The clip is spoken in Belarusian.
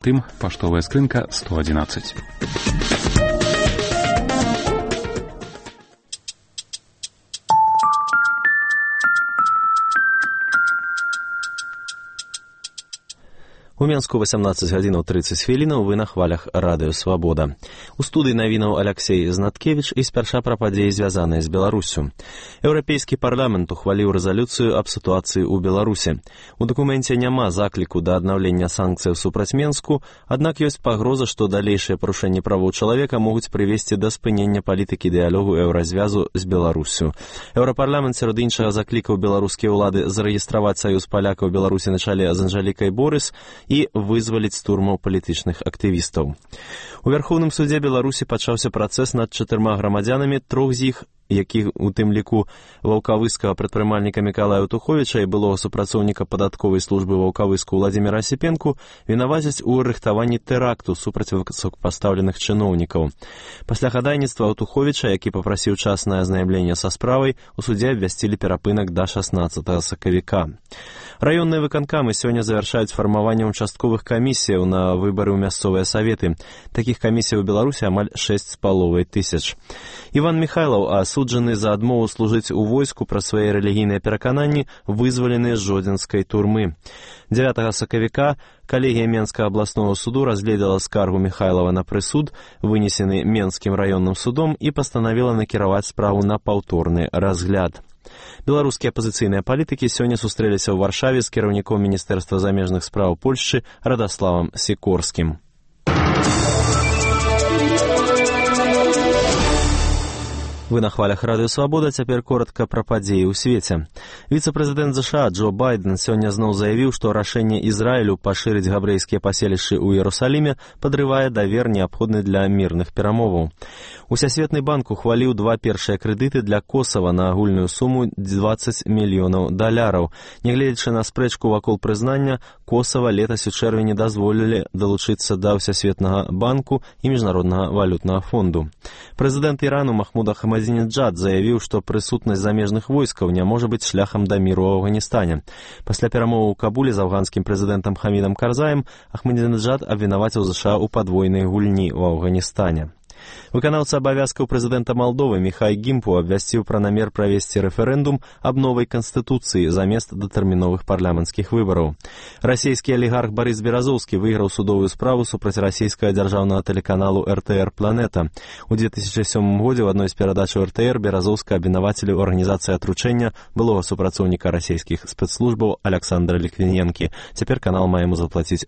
Тым, паштовая скрынка 111. У Менску 18 гадзінаў 30 хвілінаў вы на хвалях радыё «Свабода». У студыі навінаў Аляксей Знаткевіч і спярша пра падзеі, звязаныя з Беларуссю. Еўрапейскі парламент ухваліў рэзалюцыю аб сітуацыі ў Беларусі. У дакуменце няма закліку да аднаўлення санкцыяў супраць Менску, аднак ёсць пагроза, што далейшыя парушэнні правоў чалавека могуць прывесці да спынення палітыкі дыялогу еўразвязу з Беларуссю. Еўрапарламент сярод іншага заклікаў беларускія ўлады зарэгістраваць саюз палякаў Беларусі на чале з Анжэлікай Борыс і вызваліць з турмаў палітычных актывістаў. У Вярхоўным судзе Беларусі пачаўся працэс над 4 грамадзянамі, 3 з іх, якіх у тым ліку ваўкавыскага прадпрымальніка Мікалая Утуховіча і былога супрацоўніка падатковай службы ваўкавыску Владзіміра Асіпенку, вінавацяць у рыхтаванні тэракту супраць высокапастаўленых чыноўнікаў. Пасля хадайніцтва Утуховіча, які папрасіў часнае азнайамленне са справай, у судзе абвясцілі перапынак да 16 сакавіка. Раённыя выканкамы сёння завяршаюць фармаванне участковых камісіяў на выбары ў мясцовыя саветы. Такіх камісій у Беларусі амаль 6,5 тысяч. Іван Міхайлаў, асуджаны за адмову служыць у войску пра свае рэлігійныя перакананні, вызвалены з жодзінскай турмы. 9 сакавіка калегія Менскага абласнога суду разгледала скаргу Міхайлава на прысуд, вынесены Менскім раённым судом, і пастанавіла накіраваць справу на паўторны разгляд. Беларускія апазіцыйныя палітыкі сёння сустрэліся ў Варшаве з кіраўніком Міністэрства замежных спраў Польшчы Радаславам Сікорскім. Вы на хвалях радыё «Свабода», цяпер коротка пра падзеі ў свеце. Віцэ-прэзідэнт США Джо Байден сёння зноў заявіў, што рашэнне Ізраілю пашырыць габрэйскія паселішчы ў Іерусаліме падрывае давер, неабходны для мірных перамоваў. Усесветны банк ухваліў 2 першыя крэдыты для Косава на агульную суму $20 мільёнаў. Нягледзячы на спрэчку вакол прызнання, Косава летась у чэрвені дазволілі далучыцца да Усесветнага банку і Міжнароднага валютнага фонду. Прэзідэнт Ірану Махмуд Ахмадзінеджад заявіў, што прысутнасць замежных войскаў не можа быць шляхам да міру ў Афганістане. Пасля перамоваў у Кабуле з афганскім прэзідэнтам Хамідам Карзаем Ахмадзінеджад абвінаваціў США ў падвойнай гульні ў Афганістане. Выканаўца абавязкаў прэзідэнта Малдовы Міхай Гімпу абвясціў пра намер правесці рэферэндум аб новай канстытуцыі замест датэрміновых парламенцкіх выбараў. Расійскі алігарх Барыс Беразоўскі выйграў судовую справу супраць расійскага дзяржаўнага тэлеканалу РТР «Планета». У 2007 годзе ў адной з перадачаў РТР Беразоўска абвінавацілі ў арганізацыі атручэння былога супрацоўніка расійскіх спецслужбаў Аляксандра Ліквіненкі. Цяпер канал мае яму заплаціць